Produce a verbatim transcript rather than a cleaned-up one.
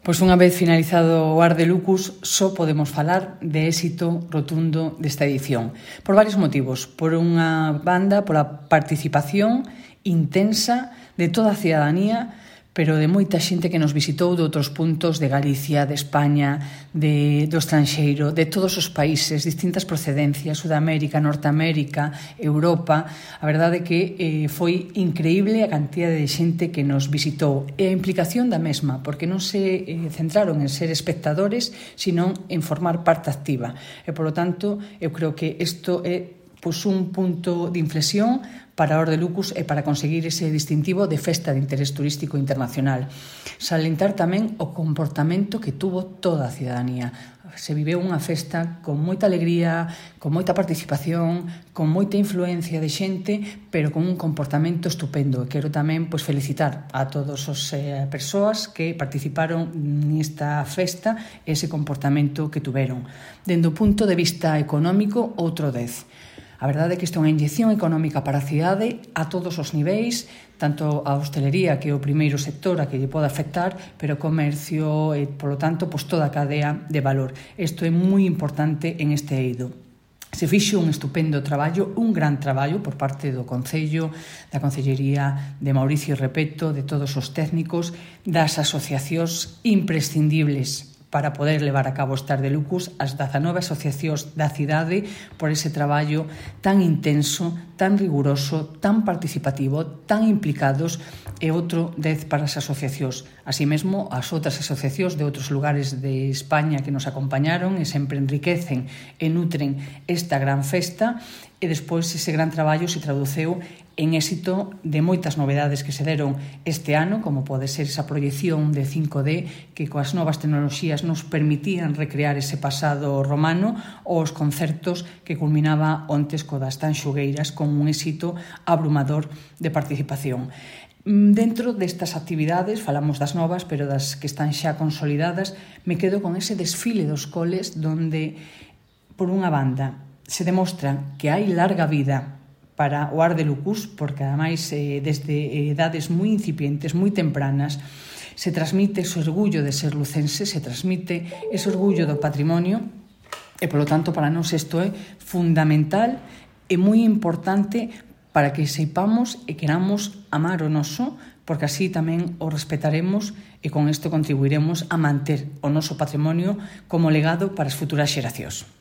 Pois unha vez finalizado o Ar de Lucus, só podemos falar de éxito rotundo desta edición. Por varios motivos. Por unha banda, pola participación intensa de toda a cidadanía, pero de moita xente que nos visitou de outros puntos de Galicia, de España, de, do estranxeiro, de todos os países, distintas procedencias, Sudamérica, Norteamérica, Europa. A verdade é que eh, foi increíble a cantidad de xente que nos visitou e a implicación da mesma, porque non se eh, centraron en ser espectadores, sino en formar parte activa. E, polo tanto, eu creo que isto é pois, un punto de inflexión para a Ar de Lucus e para conseguir ese distintivo de festa de interés turístico internacional. Salientar tamén o comportamento que tuvo toda a cidadanía. Se viveu unha festa con moita alegría, con moita participación, con moita influencia de xente, pero con un comportamento estupendo. E quero tamén pois, felicitar a todas as eh, persoas que participaron nesta festa e ese comportamento que tuveron. Dende o punto de vista económico, outro dez. A verdade é que isto é unha inyección económica para a cidade a todos os niveis, tanto a hostelería, que é o primeiro sector a que lle pode afectar, pero o comercio e, polo tanto, pois toda a cadea de valor. Isto é moi importante en este eido. Se fixo un estupendo traballo, un gran traballo por parte do Concello, da Concellería, de Mauricio Repeto, de todos os técnicos, das asociacións imprescindibles para poder levar a cabo este Ar de Lucus, as dezanove asociacións da cidade por ese traballo tan intenso, tan riguroso, tan participativo, tan implicados, e outro dez para as asociacións. Así mesmo, as outras asociacións de outros lugares de España que nos acompañaron e sempre enriquecen e nutren esta gran festa, e despois ese gran traballo se traduceu en éxito de moitas novedades que se deron este ano, como pode ser esa proyección de cinco D que coas novas tecnoloxías nos permitían recrear ese pasado romano, ou os concertos que culminaba ontes co das Tanxugueiras con un éxito abrumador de participación. Dentro destas actividades, falamos das novas, pero das que están xa consolidadas, me quedo con ese desfile dos coles donde, por unha banda, se demostra que hai larga vida para o Ar de Lucus, porque ademais eh, desde edades moi incipientes, moi tempranas, se transmite ese orgullo de ser lucense, se transmite ese orgullo do patrimonio, e polo tanto para nós isto é fundamental e moi importante para que seipamos e queramos amar o noso, porque así tamén o respetaremos e con isto contribuiremos a manter o noso patrimonio como legado para as futuras xeracións.